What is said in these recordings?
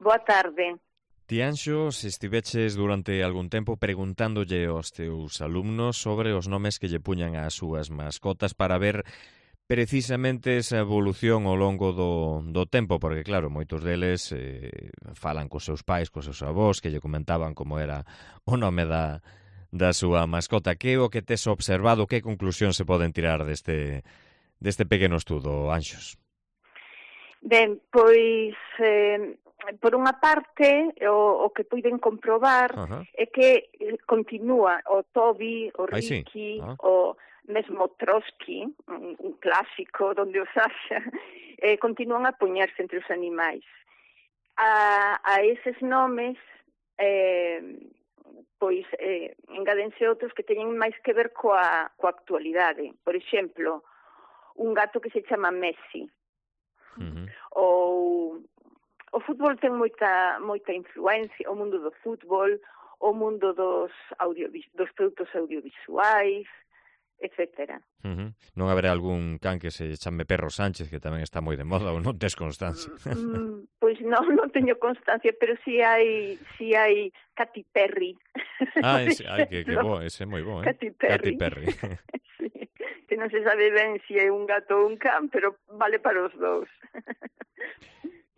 Boa tarde. Ti, Anxo, se estiveches durante algún tempo preguntándolle aos teus alumnos sobre os nomes que lle puñan ás súas mascotas para ver precisamente esa evolución ao longo do tempo, porque claro, moitos deles falan cos seus pais, cos seus avós, que lle comentaban como era o nome da súa mascota. Que é o que tes observado, que conclusión se poden tirar deste pequeno estudo, Anxos? Ben, pois, por unha parte, o que puiden comprobar é que continúa o Toby, o Ricky, o mesmo Trotsky, un clásico donde os haxa, continúan a poñerse entre os animais. A eses nomes, pois, engádense outros que teñen máis que ver coa actualidade. Por exemplo, un gato que se chama Messi. Ou o fútbol ten moita influencia, o mundo do fútbol, o mundo dos produtos audiovisuais, etcétera. Non haberá algún can que se chame Perro Sánchez, que tamén está moi de moda, ou non tes constancia? Pois non teño constancia, pero si hai Katy Perry. Que bo, ese é moi bo, Katy Perry. Sí, que non se sabe ben se é un gato ou un can, pero vale para os dous.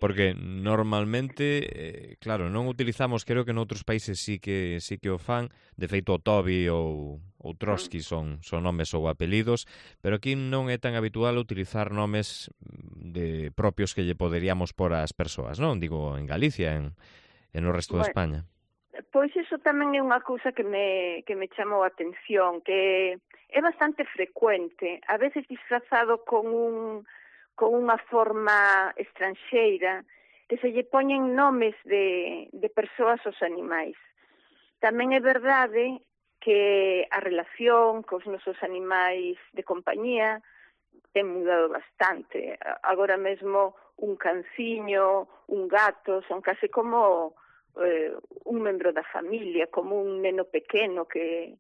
Porque normalmente, claro, non utilizamos, creo que noutros países sí que o fan, de feito o Toby ou Trotsky son nomes ou apelidos, pero aquí non é tan habitual utilizar nomes de propios que lle poderíamos por ás persoas, non? Digo, en Galicia, en o resto de España. Pois iso tamén é unha cousa que me chamou a atención, que é bastante frecuente, a veces disfrazado con unha forma estranxeira, que se lle poñen nomes de persoas aos animais. Tamén é verdade que a relación cos nosos animais de compañía ten mudado bastante. Agora mesmo un canciño, un gato, son case como un membro da familia, como un neno pequeno que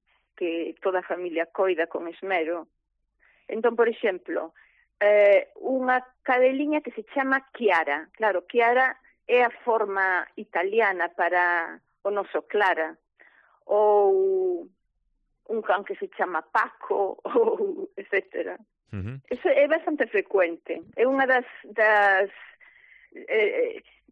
toda a familia coida con esmero. Entón, por exemplo, unha cadeliña que se chama Chiara. Claro, Chiara é a forma italiana para o noso Clara. Ou un can que se chama Paco, ou etcétera. Eso é bastante frecuente. É unha das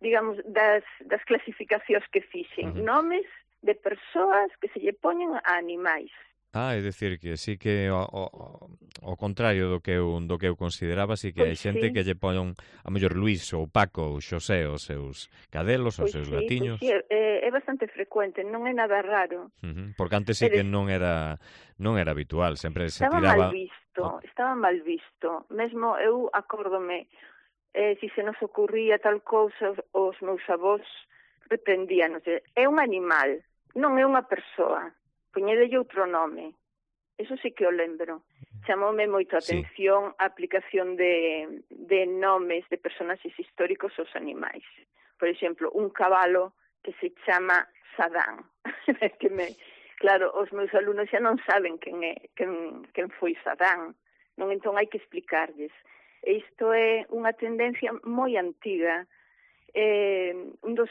digamos, das clasificacións que fixen. Nomes de persoas que se lle poñen a animais. É dicir que sí que ao contrario do que eu consideraba, sí que hai xente que lle pon a mellor Luís ou Paco ou Xosé os seus cadelos, os seus gatiños. Pois sí, é bastante frecuente, non é nada raro. Porque antes sí que non era habitual, sempre se tiraba... Estaba mal visto. Mesmo eu acórdome, se nos ocurría tal cousa, os meus avós reprendíanos. É un animal, non é unha persoa. Poñedelle outro nome. Eso sí que o lembro. Chamoume moito a atención a aplicación de nomes de personaxes históricos aos animais. Por exemplo, un cabalo que se chama Sadán. Claro, os meus alumnos xa non saben quen foi Sadán. Non, entón hai que explicarlles. E isto é unha tendencia moi antiga. Un dos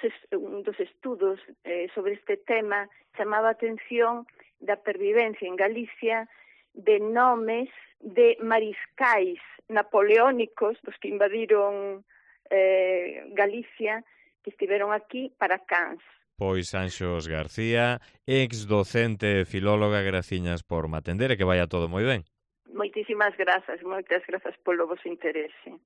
estudos sobre este tema chamaba a atención da pervivencia en Galicia de nomes de mariscais napoleónicos dos que invadiron Galicia, que estiveron aquí para cans. Pois Anxos García, ex docente e filóloga, graciñas por me atender e que vaya todo moi ben. Moitísimas grazas, moitas grazas polo vosso interese.